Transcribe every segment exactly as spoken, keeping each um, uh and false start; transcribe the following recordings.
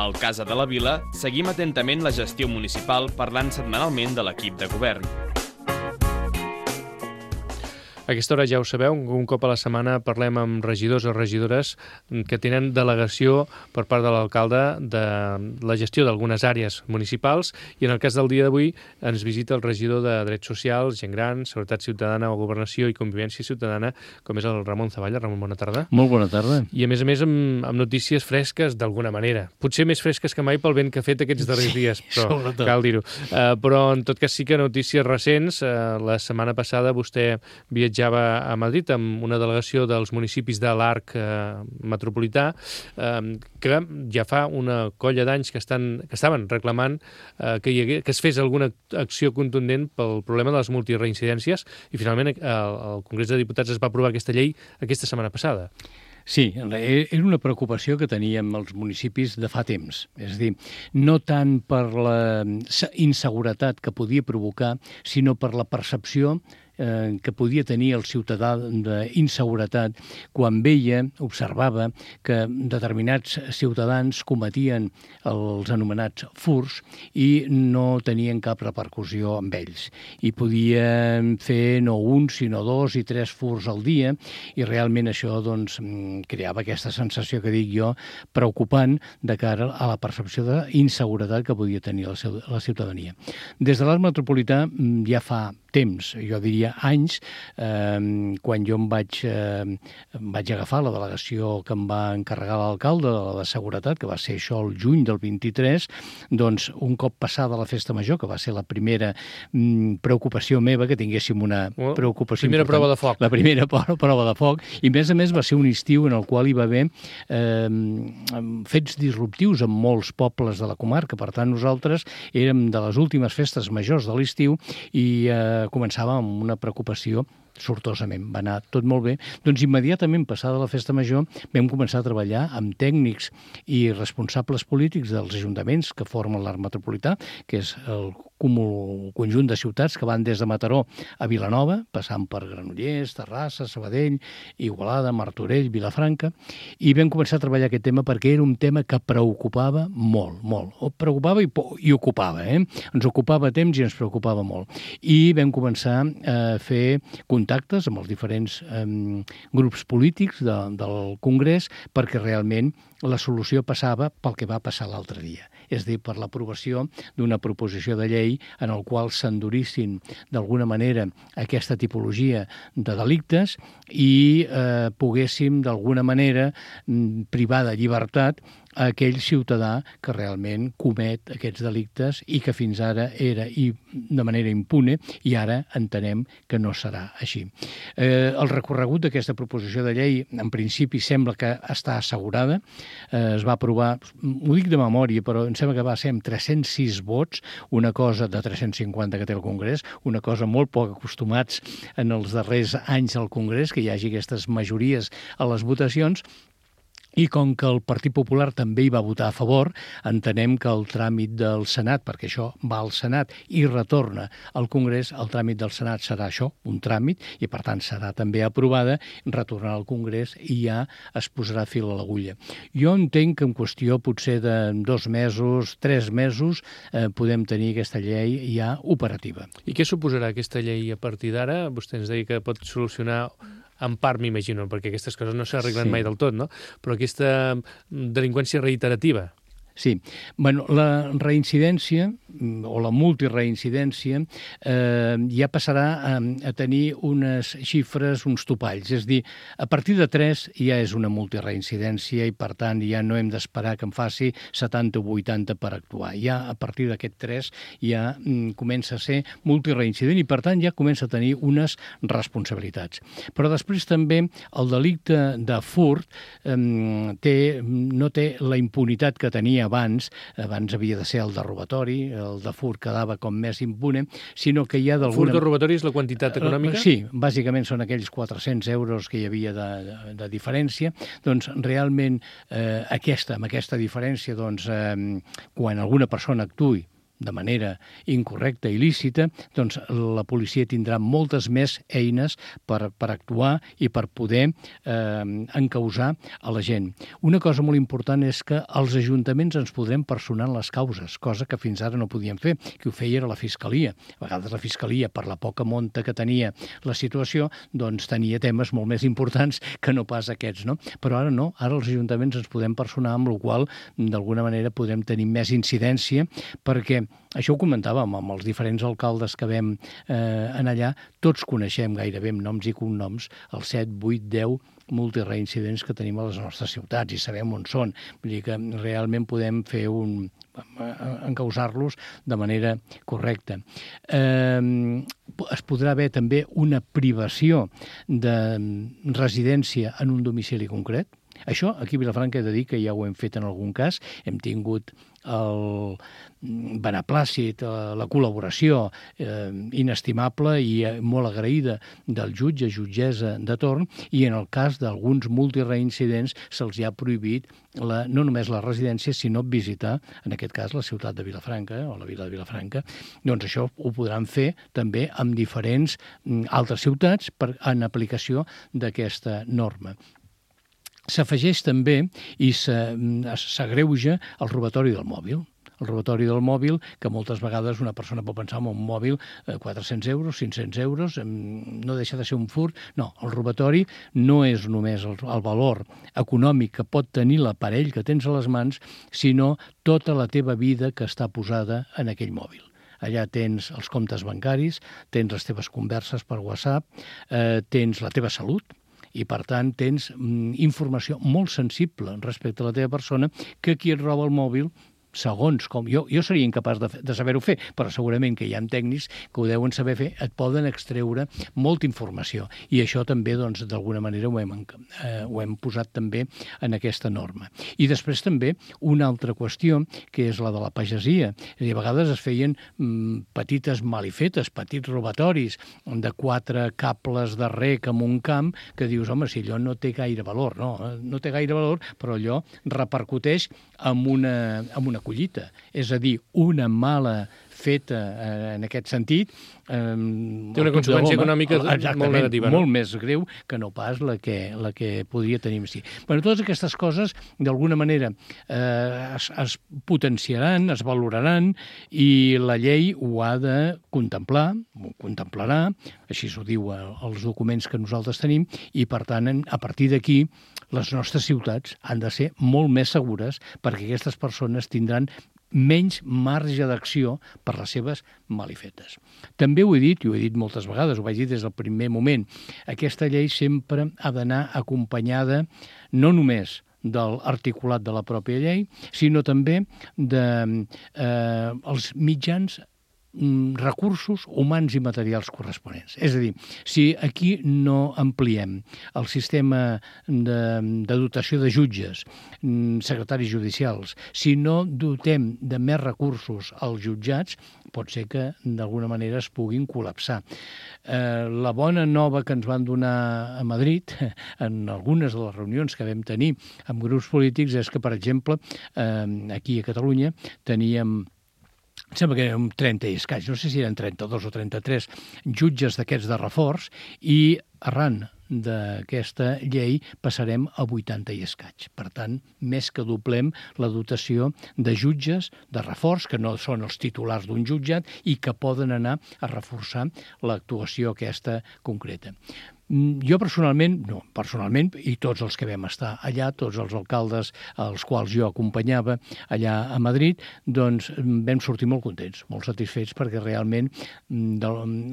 Al Casa de la Vila seguim atentament la gestió municipal parlant setmanalment de l'equip de govern. A aquesta hora ja ho sabeu, un cop a la setmana parlem amb regidors o regidores que tenen delegació per part de l'alcalde de la gestió d'algunes àrees municipals i en el cas del dia d'avui ens visita el regidor de Drets Socials, Gent Gran, Seguretat Ciutadana, Governació i Convivència Ciutadana, com és el Ramon Zavalla. Ramon, bona tarda. Molt bona tarda. I a més a més amb, amb notícies fresques d'alguna manera. Potser més fresques que mai pel vent que ha fet aquests darrers sí, dies, però sobretot. Cal dir-ho. Uh, però en tot cas sí que notícies recents. Uh, la setmana passada vostè viatjava a Madrid amb una delegació dels municipis de l'Arc eh, metropolità eh, que ja fa una colla d'anys que, estan, que estaven reclamant eh, que, hi hagués, que es fes alguna acció contundent pel problema de les multireincidències i finalment el, el Congrés de Diputats es va aprovar aquesta llei aquesta setmana passada. Sí, era una preocupació que teníem els municipis de fa temps. És a dir, no tant per la inseguretat que podia provocar, sinó per la percepció eh, que podia tenir el ciutadà d'inseguretat quan veia, observava que determinats ciutadans cometien els anomenats furts i no tenien cap repercussió amb ells. I podien fer no un, sinó dos i tres furts al dia i realment això doncs, creava aquesta sensació que dic jo preocupant de cara a la percepció d'inseguretat que podia tenir la ciutadania. Des de l'Arc metropolità ja fa temps, jo diria anys, eh, quan jo em vaig, eh, em vaig agafar la delegació que em va encarregar l'alcalde de la de seguretat, que va ser això el juny del vint-i-tres, doncs un cop passada la festa major, que va ser la primera mm, preocupació meva, que tinguéssim una preocupació primera important. Prova de foc. La primera prova de foc, i a més a més va ser un estiu en el qual hi va haver eh, fets disruptius en molts pobles de la comarca, per tant nosaltres érem de les últimes festes majors de l'estiu i eh, començava amb una preocupació sortosament. Va anar tot molt bé. Doncs immediatament passada la festa major vam començar a treballar amb tècnics i responsables polítics dels ajuntaments que formen l'Arc metropolità, que és el cúmul, conjunt de ciutats que van des de Mataró a Vilanova, passant per Granollers, Terrassa, Sabadell, Igualada, Martorell, Vilafranca, i vam començar a treballar aquest tema perquè era un tema que preocupava molt, molt. O preocupava i, i ocupava, eh? Ens ocupava temps i ens preocupava molt. I vam començar a fer contactes amb els diferents eh, grups polítics de, del Congrés perquè realment la solució passava pel que va passar l'altre dia. És a dir, per l'aprovació d'una proposició de llei en el qual s'endurissin d'alguna manera aquesta tipologia de delictes i eh, poguéssim d'alguna manera privar de llibertat a aquell ciutadà que realment comet aquests delictes i que fins ara era i de manera impune i ara entenem que no serà així. Eh, el recorregut d'aquesta proposició de llei en principi sembla que està assegurada. Eh, es va aprovar, ho dic de memòria, però em sembla que va ser amb tres-cents sis vots, una cosa de tres-cents cinquanta que té el Congrés, una cosa molt poc acostumats en els darrers anys al Congrés, que hi hagi aquestes majories a les votacions. I com que el Partit Popular també hi va votar a favor, entenem que el tràmit del Senat, perquè això va al Senat i retorna al Congrés, el tràmit del Senat serà això, un tràmit, i per tant serà també aprovada, retornarà al Congrés i ja es posarà fil a l'agulla. Jo entenc que en qüestió potser de dos mesos, tres mesos, eh, podem tenir aquesta llei ja operativa. I què suposarà aquesta llei a partir d'ara? Vostè ens deia que pot solucionar en part, m'imagino, perquè aquestes coses no s'arreglen sí. mai del tot, no? Però aquesta delinqüència reiterativa. Sí. Bueno, la reincidència o la multireincidència eh, ja passarà a, a tenir unes xifres, uns topalls. És a dir, a partir de tres ja és una multireincidència i, per tant, ja no hem d'esperar que en faci setanta o vuitanta per actuar. Ja a partir d'aquest tres ja mm, comença a ser multireincident i, per tant, ja comença a tenir unes responsabilitats. Però després també el delicte de furt eh, té, no té la impunitat que tenia abans, abans havia de ser el de robatori, el de furt quedava com més impune, sinó que hi ha d'alguna... Furt de robatori és la quantitat econòmica? Sí, bàsicament són aquells quatre-cents euros que hi havia de, de, de diferència. Doncs realment eh, aquesta, amb aquesta diferència, doncs, eh, quan alguna persona actuï de manera incorrecta i il·lícita, doncs la policia tindrà moltes més eines per, per actuar i per poder eh, encausar a la gent. Una cosa molt important és que els ajuntaments ens podrem personar en les causes, cosa que fins ara no podíem fer, que ho feia era la Fiscalia. A vegades la Fiscalia, per la poca monta que tenia la situació, doncs tenia temes molt més importants que no pas aquests, no? Però ara no, ara els ajuntaments ens podem personar, amb la qual d'alguna manera podem tenir més incidència, perquè això ho comentàvem amb els diferents alcaldes que vam eh, anar allà, tots coneixem gairebé amb noms i cognoms els set, vuit, deu multireincidents que tenim a les nostres ciutats i sabem on són. Vull dir que realment podem fer un encausar-los de manera correcta. Eh, es podrà haver també una privació de residència en un domicili concret. Això, aquí a Vilafranca he de dir que ja ho hem fet en algun cas. Hem tingut el beneplàcit, la col·laboració eh, inestimable i molt agraïda del jutge, jutgessa de torn, i en el cas d'alguns multireincidents se'ls ha prohibit la, no només la residència, sinó visitar, en aquest cas, la ciutat de Vilafranca, o la vila de Vilafranca. Doncs això ho podran fer també amb diferents altres ciutats per, en aplicació d'aquesta norma. S'afegeix també i s'agreuja el robatori del mòbil. El robatori del mòbil, que moltes vegades una persona pot pensar en un mòbil, eh, quatre-cents euros, cinc-cents euros, no deixa de ser un furt. No, el robatori no és només el, el valor econòmic que pot tenir l'aparell que tens a les mans, sinó tota la teva vida que està posada en aquell mòbil. Allà tens els comptes bancaris, tens les teves converses per WhatsApp, eh, tens la teva salut, i, per tant, tens mm, informació molt sensible respecte a la teva persona que qui et roba el mòbil, segons com... Jo, jo seria incapaç de, de saber-ho fer, però segurament que hi ha tècnics que ho deuen saber fer, et poden extreure molta informació. I això també, doncs, d'alguna manera ho hem, eh, ho hem posat també en aquesta norma. I després també una altra qüestió, que és la de la pagesia. És a dir, a vegades es feien mm, petites malifetes, petits robatoris de quatre cables de rec en un camp, que dius, home, si allò no té gaire valor, no, no té gaire valor, però allò repercuteix en una, en una collita, és a dir, una mala feta eh, en aquest sentit. Eh, Té una conseqüència econòmica molt negativa, no? Molt més greu que no pas la que, la que podria tenir. Sí. Bueno, totes aquestes coses, d'alguna manera, eh, es, es potenciaran, es valoraran, i la llei ho ha de contemplar, ho contemplarà, així s'ho diu als documents que nosaltres tenim, i, per tant, a partir d'aquí, les nostres ciutats han de ser molt més segures perquè aquestes persones tindran menys marge d'acció per les seves malifetes. També ho he dit, i ho he dit moltes vegades, ho vaig dir des del primer moment, aquesta llei sempre ha d'anar acompanyada no només de l'articulat de la pròpia llei, sinó també dels de, eh, mitjans recursos humans i materials corresponents. És a dir, si aquí no ampliem el sistema de, de dotació de jutges, secretaris judicials, si no dotem de més recursos als jutjats, pot ser que d'alguna manera es puguin col·lapsar. Eh, la bona nova que ens van donar a Madrid, en algunes de les reunions que vam tenir amb grups polítics, és que, per exemple, eh, aquí a Catalunya teníem em sembla que eren trenta i escaig, no sé si eren trenta-dos o trenta-tres jutges d'aquests de reforç, i arran d'aquesta llei passarem a vuitanta i escaig. Per tant, més que doblem la dotació de jutges de reforç, que no són els titulars d'un jutjat i que poden anar a reforçar l'actuació aquesta concreta. Jo personalment, no, personalment, i tots els que vam estar allà, tots els alcaldes als quals jo acompanyava allà a Madrid, doncs vam sortir molt contents, molt satisfets, perquè realment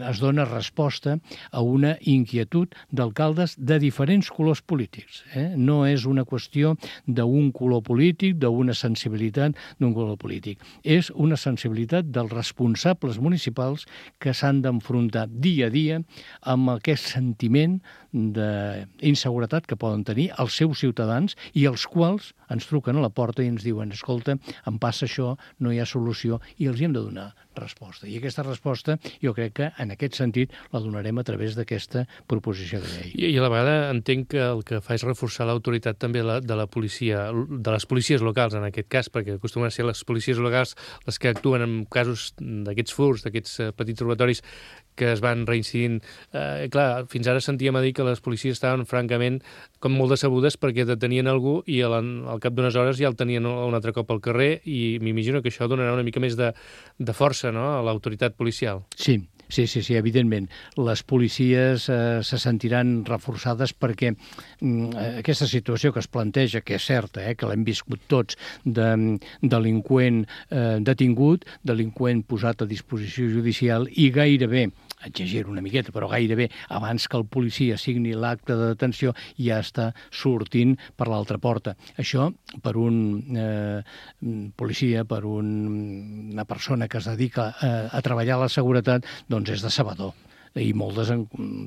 es dona resposta a una inquietud d'alcaldes de diferents colors polítics. Eh? No és una qüestió d'un color polític, d'una sensibilitat d'un color polític. És una sensibilitat dels responsables municipals que s'han d'enfrontar dia a dia amb aquest sentiment d'inseguretat que poden tenir els seus ciutadans i els quals ens truquen a la porta i ens diuen, escolta, em passa això, no hi ha solució, i els hi hem de donar resposta. I aquesta resposta jo crec que en aquest sentit la donarem a través d'aquesta proposició de llei. I, i a la vegada entenc que el que fa és reforçar l'autoritat també la, de la policia, de les policies locals en aquest cas, perquè acostumen a ser les policies locals les que actuen en casos d'aquests furs, d'aquests uh, petits robatoris que es van reincidint. Eh, clar, fins ara sentíem a dir que les policies estaven francament com molt decebudes perquè detenien algú i al, al cap d'unes hores ja el tenien un altre cop al carrer i m'imagino que això donarà una mica més de, de força, no?, a l'autoritat policial. Sí, sí, sí, sí, evidentment. Les policies eh, se sentiran reforçades perquè mm, aquesta situació que es planteja, que és certa, eh, que l'hem viscut tots, de delinqüent eh, detingut, delinqüent posat a disposició judicial i gairebé, exagero una miqueta, però gairebé abans que el policia signi l'acte de detenció ja està sortint per l'altra porta. Això, per un eh, policia, per un, una persona que es dedica a, a treballar a la seguretat, doncs és decebedor i molt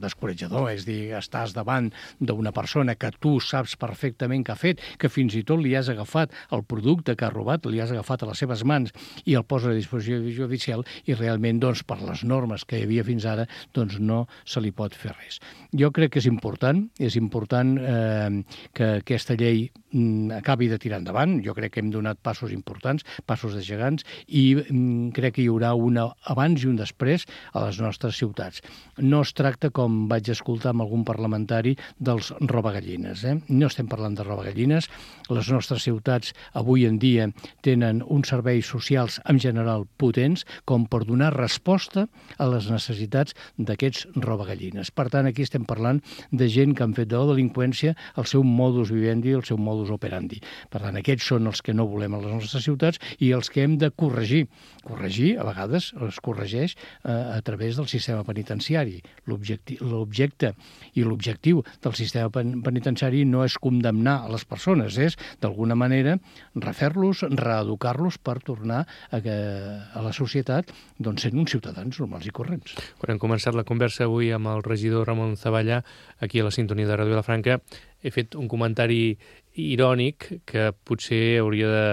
descoratjador. És dir, estàs davant d'una persona que tu saps perfectament que ha fet, que fins i tot li has agafat el producte que ha robat, li has agafat a les seves mans i el posa a disposició judicial i realment, doncs, per les normes que hi havia fins ara, doncs no se li pot fer res. Jo crec que és important, és important eh, que aquesta llei mm, acabi de tirar endavant. Jo crec que hem donat passos importants, passos de gegants, i mm, crec que hi haurà un abans i un després a les nostres ciutats. No es tracta, com vaig escoltar amb algun parlamentari, dels robagallines. Eh? No estem parlant de robagallines. Les nostres ciutats avui en dia tenen uns serveis socials en general potents com per donar resposta a les necessitats d'aquests robagallines. Per tant, aquí estem parlant de gent que han fet de la delinqüència el seu modus vivendi, el seu modus operandi. Per tant, aquests són els que no volem a les nostres ciutats i els que hem de corregir. Corregir, a vegades, es corregeix eh, a través del sistema penitenciari. L'objecte i l'objectiu del sistema penitenciari no és condemnar a les persones, és, d'alguna manera, refer-los, reeducar-los per tornar a, que, a la societat doncs, sent uns ciutadans normals i corrents. Quan hem començat la conversa avui amb el regidor Ramon Zavallà, aquí a la sintonia de Ràdio Vilafranca, he fet un comentari irònic que potser hauria de,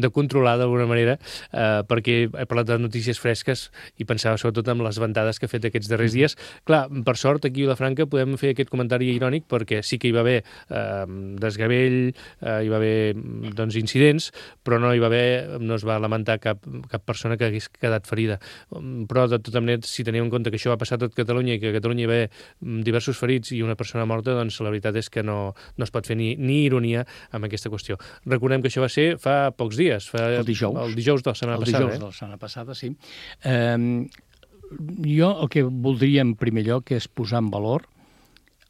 de controlar d'alguna manera, eh, perquè he parlat de notícies fresques i pensava sobretot en les ventades que he fet aquests darrers dies. Clar, per sort, aquí a Vilafranca podem fer aquest comentari irònic perquè sí que hi va haver eh, desgavell, eh, hi va haver doncs, incidents, però no hi va haver, no es va lamentar cap, cap persona que hagués quedat ferida. Però, de tota manera, si tenim en compte que això va passar a tot Catalunya i que a Catalunya hi va haver diversos ferits i una persona morta, doncs la veritat és que no, no es pot fer ni, ni ironia amb aquesta qüestió. Recordem que això va ser fa pocs dies, fa el dijous, el dijous de la setmana el passada. dijous eh? de la setmana passada, sí. Eh, jo el que voldria en primer lloc és posar en valor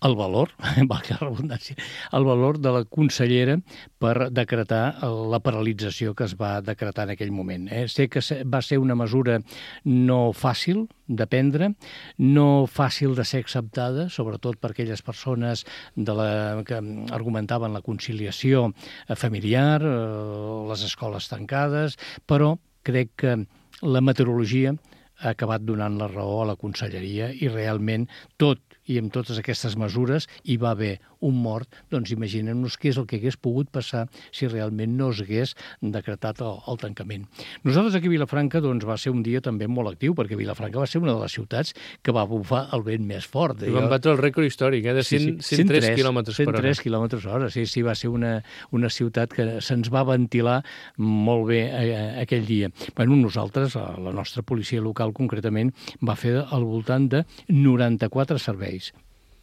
el valor, valgui la redundància, el valor de la consellera per decretar la paralització que es va decretar en aquell moment. Eh? Sé que va ser una mesura no fàcil de prendre, no fàcil de ser acceptada, sobretot per aquelles persones de la, que argumentaven la conciliació familiar, les escoles tancades, però crec que la meteorologia ha acabat donant la raó a la conselleria i realment tot i amb totes aquestes mesures hi va haver un mort, doncs imaginem-nos què és el que hagués pogut passar si realment no es hagués decretat el, el tancament. Nosaltres aquí a Vilafranca doncs, va ser un dia també molt actiu, perquè Vilafranca va ser una de les ciutats que va bufar el vent més fort. I van batre el rècord històric, eh, de cent, sí, sí. cent tres quilòmetres per hora. cent tres quilòmetres per hora, sí, sí, va ser una, una ciutat que se'ns va ventilar molt bé eh, aquell dia. Bueno, nosaltres, la nostra policia local concretament, va fer al voltant de noranta-quatre serveis,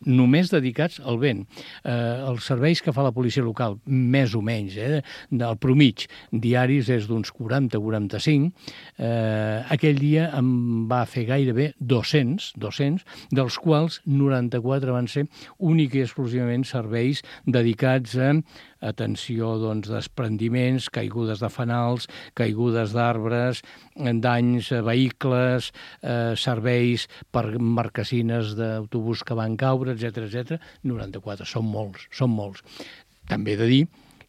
només dedicats al vent. Eh, els serveis que fa la policia local, més o menys, eh, del promig diaris és d'uns quaranta a quaranta-cinc. Eh, aquell dia em va fer gairebé dos-cents, dos-cents, dels quals noranta-quatre van ser únic i exclusivament serveis dedicats a atenció doncs, desprendiments, caigudes de fanals, caigudes d'arbres, danys a vehicles, eh, serveis per marquesines d'autobús que van caure, etcètera, etcètera. noranta-quatre, són molts, són molts. També he de dir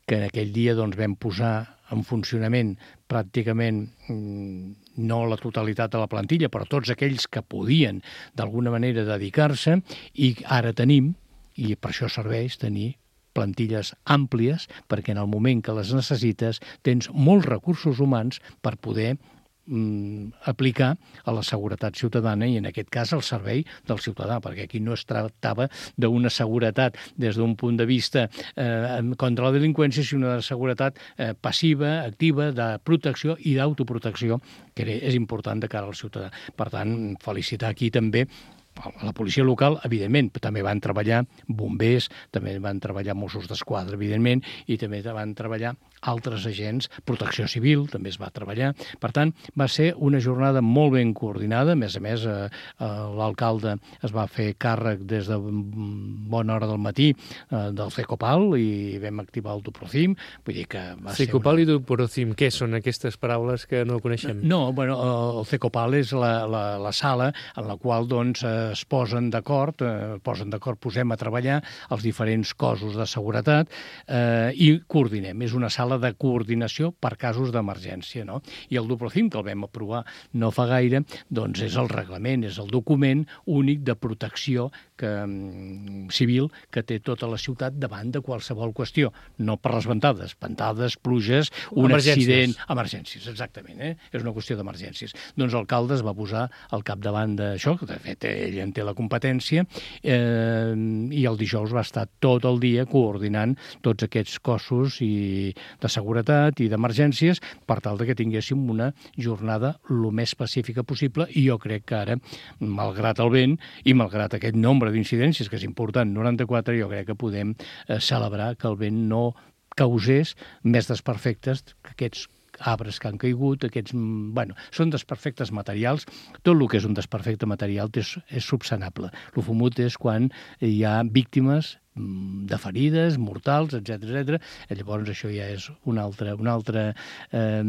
que en aquell dia doncs, vam posar en funcionament pràcticament no la totalitat de la plantilla, però tots aquells que podien d'alguna manera dedicar-se, i ara tenim, i per això serveix tenir plantilles àmplies, perquè en el moment que les necessites tens molts recursos humans per poder mm, aplicar a la seguretat ciutadana i, en aquest cas, al servei del ciutadà, perquè aquí no es tractava d'una seguretat des d'un punt de vista eh, contra la delinqüència, sinó de seguretat eh, passiva, activa, de protecció i d'autoprotecció, que és important de cara al ciutadà. Per tant, felicitar aquí també a la policia local, evidentment, però també van treballar bombers, també van treballar Mossos d'Esquadra, evidentment, i també van treballar altres agents, protecció civil també es va treballar. Per tant, va ser una jornada molt ben coordinada. A més a més, eh, l'alcalde es va fer càrrec des de bona hora del matí eh, del Cecopal i vam activar el Duprocim. Vull dir que va Cecopal ser una... i Duprocim, què són aquestes paraules que no coneixem? No, bueno, el Cecopal és la, la, la sala en la qual doncs, es posen d'acord, eh, posen d'acord, posem a treballar els diferents cossos de seguretat eh, i coordinem. És una sala de coordinació per casos d'emergència, no? I el Duprocim, que el vam aprovar no fa gaire, doncs és el reglament, és el document únic de protecció que, civil que té tota la ciutat davant de qualsevol qüestió. No per les ventades, ventades, pluges, un accident... Emergències, exactament, eh? És una qüestió d'emergències. Doncs l'alcalde es va posar al capdavant d'això, que de fet ell en té la competència, eh, i el dijous va estar tot el dia coordinant tots aquests cossos i de seguretat i d'emergències per tal que tinguéssim una jornada el més pacífica possible, i jo crec que ara, malgrat el vent i malgrat aquest nombre d'incidències, que és important, noranta-quatre, jo crec que podem eh, celebrar que el vent no causés més desperfectes que aquests arbres que han caigut, aquests... Bueno, són desperfectes materials. Tot el que és un desperfecte material és, és subsanable. El fumut és quan hi ha víctimes de ferides, mortals, etcètera, etcètera. Llavors això ja és una altra... Una altra eh,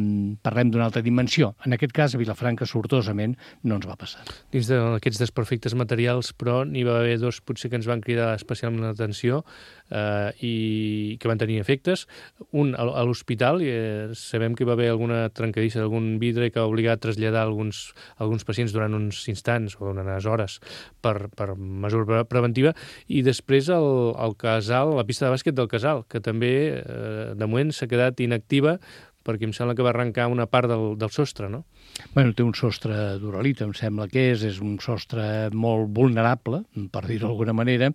parlem d'una altra dimensió. En aquest cas, a Vilafranca, sortosament, no ens va passar. Dins d'aquests desperfectes materials, però, n'hi va haver dos potser que ens van cridar especialment l'atenció eh, i que van tenir efectes. Un, a l'hospital, i eh, sabem que hi va haver alguna trencadissa d'algun vidre que ha obligat a traslladar alguns, alguns pacients durant uns instants o unes hores per, per mesura preventiva, i després el al Casal, la pista de bàsquet del Casal, que també, eh, de moment, s'ha quedat inactiva perquè em sembla que va arrencar una part del, del sostre, no? Bueno, té un sostre d'uralita, em sembla que és, és un sostre molt vulnerable, per dir-ho d'alguna manera,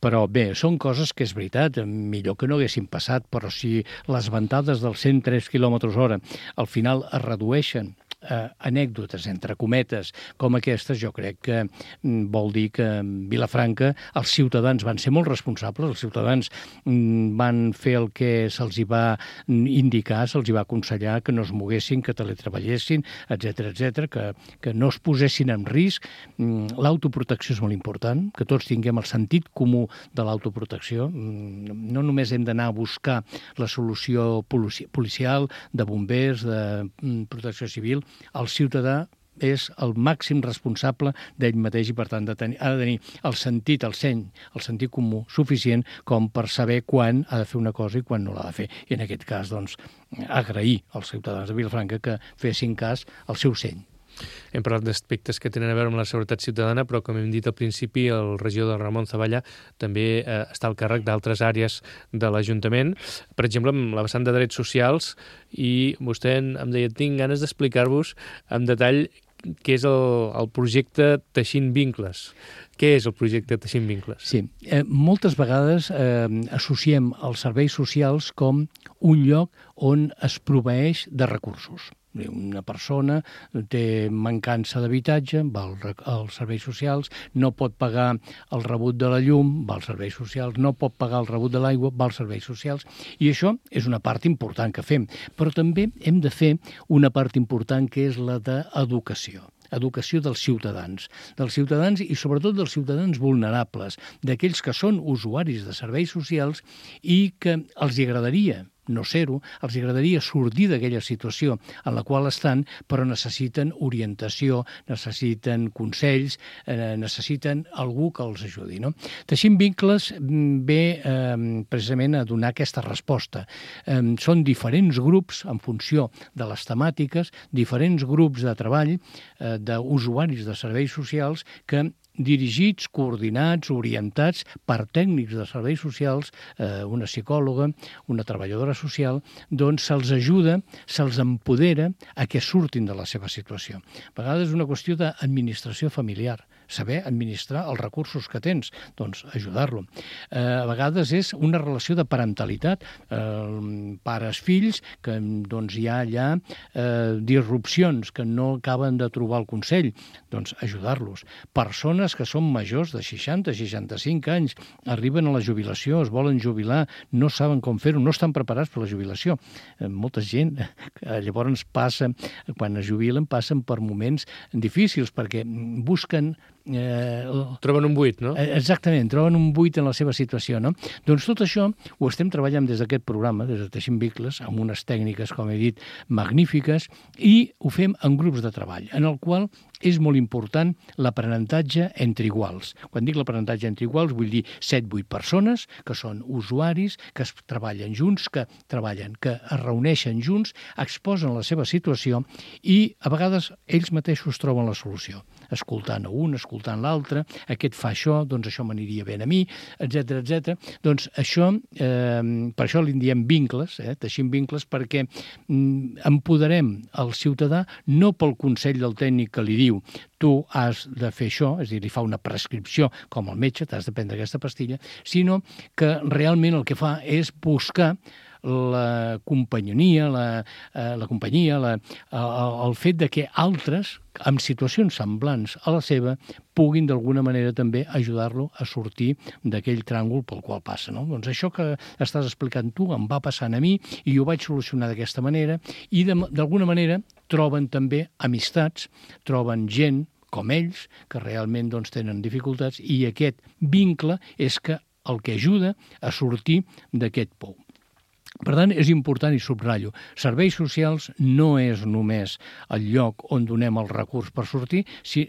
però bé, són coses que és veritat, millor que no haguessin passat, però si les ventades dels cent tres quilòmetres hora al final es redueixen eh, anècdotes, entre cometes, com aquestes, jo crec que mm, vol dir que en Vilafranca els ciutadans van ser molt responsables, els ciutadans mm, van fer el que se'ls hi va indicar, se'ls hi va aconsellar, que no es moguessin, que teletreballessin, etcètera, etcètera, que, que no es posessin en risc. Mm, l'autoprotecció és molt important, que tots tinguem el sentit comú de l'autoprotecció. Mm, no només hem d'anar a buscar la solució polici policial, de bombers, de mm, protecció civil. El ciutadà és el màxim responsable d'ell mateix i, per tant, de tenir, ha de tenir el sentit, el seny, el sentit comú suficient com per saber quan ha de fer una cosa i quan no l'ha de fer. I en aquest cas, doncs, agrair als ciutadans de Vilafranca que fessin cas al seu seny. Hem parlat d'aspectes que tenen a veure amb la seguretat ciutadana, però, com hem dit al principi, el regidor de Ramon Zavalla també eh, està al càrrec d'altres àrees de l'Ajuntament, per exemple, amb la vessant de drets socials, i vostè em deia, tinc ganes d'explicar-vos en detall què és el, el projecte Teixint Vincles. Què és el projecte Teixint Vincles? Sí, eh, moltes vegades eh, associem els serveis socials com un lloc on es proveeix de recursos. Una persona té mancança d'habitatge, va als serveis socials, no pot pagar el rebut de la llum, va als serveis socials, no pot pagar el rebut de l'aigua, va als serveis socials, i això és una part important que fem. Però també hem de fer una part important que és la d'educació. Educació dels ciutadans, dels ciutadans i sobretot dels ciutadans vulnerables, d'aquells que són usuaris de serveis socials i que els agradaria no ser-ho, els agradaria sortir d'aquella situació en la qual estan, però necessiten orientació, necessiten consells, eh, necessiten algú que els ajudi, no? Teixint Vincles ve eh, precisament a donar aquesta resposta. Eh, són diferents grups en funció de les temàtiques, diferents grups de treball eh, d'usuaris de serveis socials que dirigits, coordinats, orientats per tècnics de serveis socials, eh, una psicòloga, una treballadora social, doncs se'ls ajuda, se'ls empodera a que surtin de la seva situació. A vegades és una qüestió d'administració familiar, saber administrar els recursos que tens, doncs ajudar-lo. Eh, a vegades és una relació de parentalitat, eh, pares-fills, que doncs hi ha allà eh, disrupcions que no acaben de trobar el consell, doncs ajudar-los. Persones que són majors de seixanta, seixanta-cinc anys, arriben a la jubilació, es volen jubilar, no saben com fer-ho, no estan preparats per la jubilació. Eh, molta gent eh, llavors passa, quan es jubilen, passen per moments difícils perquè busquen Eh, troben un buit, no? Exactament, troben un buit en la seva situació, no? Doncs tot això ho estem treballant des d'aquest programa, des de Teixint Vincles, amb unes tècniques, com he dit, magnífiques, i ho fem en grups de treball, en el qual és molt important l'aprenentatge entre iguals. Quan dic l'aprenentatge entre iguals, vull dir set vuit persones que són usuaris, que es treballen junts, que treballen, que es reuneixen junts, exposen la seva situació i a vegades ells mateixos troben la solució, escoltant a un, escoltant l'altre, aquest fa això, doncs això m'aniria bé a mi, etcètera, etcètera. Doncs això, eh, per això li diem vincles, eh, teixint vincles, perquè mm, empoderem el ciutadà no pel consell del tècnic que li diu tu has de fer això, és a dir, li fa una prescripció com el metge, t'has de prendre aquesta pastilla, sinó que realment el que fa és buscar la companyonia, la, eh, la companyia, la, el, el fet de que altres, amb situacions semblants a la seva, puguin d'alguna manera també ajudar-lo a sortir d'aquell tràngol pel qual passa. No? Doncs això que estàs explicant tu em va passant a mi i ho vaig solucionar d'aquesta manera i d'alguna manera troben també amistats, troben gent com ells, que realment doncs, tenen dificultats i aquest vincle és que el que ajuda a sortir d'aquest pou. Per tant, és important i subratllo, serveis socials no és només el lloc on donem el recurs per sortir,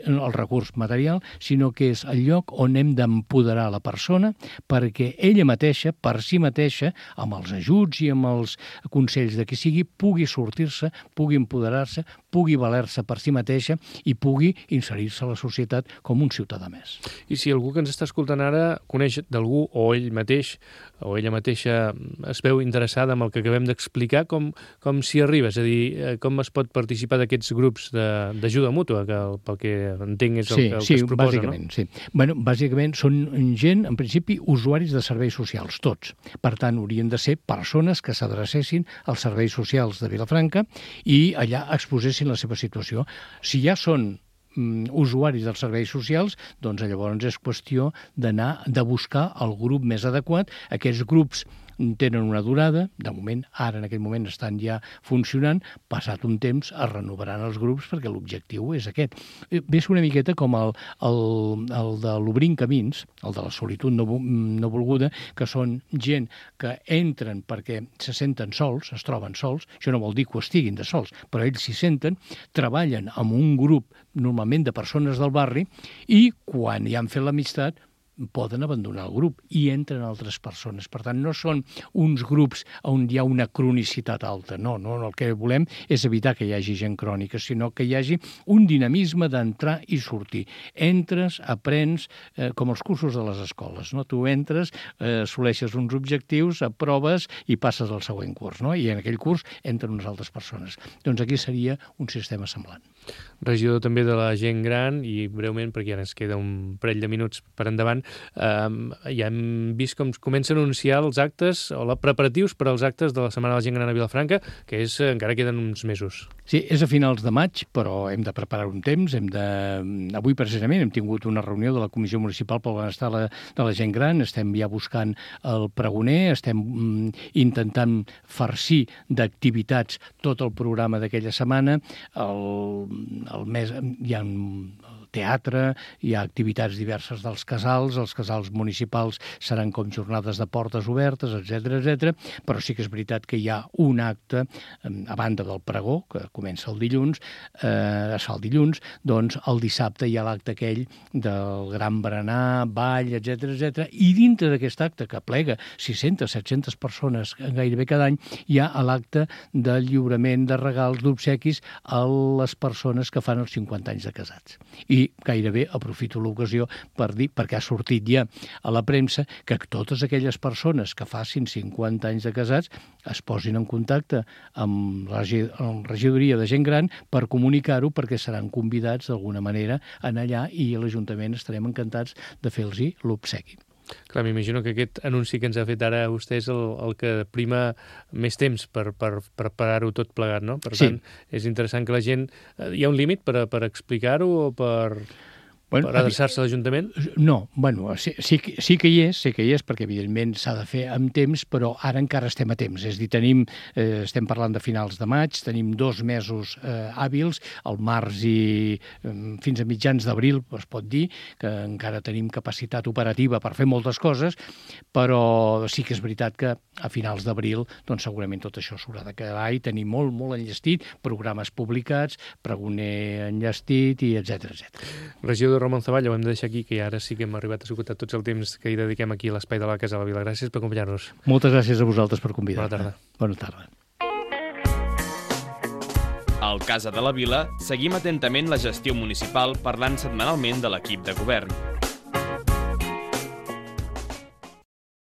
el recurs material, sinó que és el lloc on hem d'empoderar la persona perquè ella mateixa, per si mateixa, amb els ajuts i amb els consells de qui sigui, pugui sortir-se, pugui empoderar-se, pugui valer-se per si mateixa i pugui inserir-se a la societat com un ciutadà més. I si algú que ens està escoltant ara coneix d'algú o ell mateix o ella mateixa es veu interessada amb el que acabem d'explicar, com, com s'hi arriba? És a dir, com es pot participar d'aquests grups d'ajuda mútua, que pel que entenc és el, sí, que, el sí, que es proposa, bàsicament, no? Sí, bueno, bàsicament són gent, en principi, usuaris de serveis socials, tots. Per tant, haurien de ser persones que s'adrecessin als serveis socials de Vilafranca i allà exposessin la seva situació. Si ja són usuaris dels serveis socials, doncs llavors és qüestió d'anar, de buscar el grup més adequat. Aquests grups tenen una durada, de moment, ara en aquest moment estan ja funcionant, passat un temps es renovaran els grups perquè l'objectiu és aquest. Ve una miqueta com el, el, el de l'Obrint Camins, el de la solitud no, no volguda, que són gent que entren perquè se senten sols, es troben sols, això no vol dir que ho estiguin de sols, però ells s'hi senten, treballen amb un grup normalment de persones del barri i quan ja han fet l'amistat poden abandonar el grup i entren altres persones. Per tant, no són uns grups on hi ha una cronicitat alta. No, no, el que volem és evitar que hi hagi gent crònica, sinó que hi hagi un dinamisme d'entrar i sortir. Entres, aprens, eh, com els cursos de les escoles. No? Tu entres, eh, assoleixes uns objectius, aproves i passes al següent curs. No? I en aquell curs entren unes altres persones. Doncs aquí seria un sistema semblant. Regidor també de la gent gran, i breument, perquè ara ens queda un parell de minuts per endavant, eh, ja hem vist com comencen a anunciar els actes o els preparatius per als actes de la Setmana de la Gent Gran a Vilafranca, que és, encara queden uns mesos. Sí, és a finals de maig, però hem de preparar un temps. Hem de... Avui, precisament, hem tingut una reunió de la Comissió Municipal pel Benestar de la, de la Gent Gran. Estem ja buscant el pregoner, estem mm, intentant farcir d'activitats tot el programa d'aquella setmana. El, el mes, hi ha teatre, hi ha activitats diverses dels casals, els casals municipals seran com jornades de portes obertes, etcètera, etcètera, però sí que és veritat que hi ha un acte, a banda del pregó, que comença el dilluns, eh, es fa el dilluns, doncs el dissabte hi ha l'acte aquell del gran berenar, ball, etcètera, etcètera, i dintre d'aquest acte, que plega sis-centes, set-centes persones gairebé cada any, hi ha l'acte del lliurament de regals, d'obsequis a les persones que fan els cinquanta anys de casats. I i gairebé aprofito l'ocasió per dir, perquè ha sortit ja a la premsa, que totes aquelles persones que facin cinquanta anys de casats es posin en contacte amb la regidoria de gent gran per comunicar-ho, perquè seran convidats d'alguna manera a anar allà i a l'Ajuntament estarem encantats de fer-los l'obsequi. Clar, m'imagino que aquest anunci que ens ha fet ara vostè és el, el que prima més temps per, per, per preparar-ho tot plegat, no? Per tant, sí. És interessant que la gent... Hi ha un límit per, per explicar-ho o per... Bueno, per adreçar-se a l'Ajuntament? No, bueno, sí, sí, sí que hi és, sí que hi és, perquè evidentment s'ha de fer amb temps, però ara encara estem a temps. És a dir, tenim, eh, estem parlant de finals de maig, tenim dos mesos eh, hàbils, al març i eh, fins a mitjans d'abril, es pot dir, que encara tenim capacitat operativa per fer moltes coses, però sí que és veritat que a finals d'abril doncs segurament tot això s'haurà d'acabar i tenir molt, molt enllestit, programes publicats, pregoner enllestit i etcètera etcètera. Regidor Ramon Zavalla, ho hem de deixar aquí, que ara sí que hem arribat a esgotar tots el temps que hi dediquem aquí a l'Espai de la Casa de la Vila. Gràcies per acompanyar-nos. Moltes gràcies a vosaltres per convidar-me. Bona tarda. Bona tarda. Al Casa de la Vila seguim atentament la gestió municipal parlant setmanalment de l'equip de govern.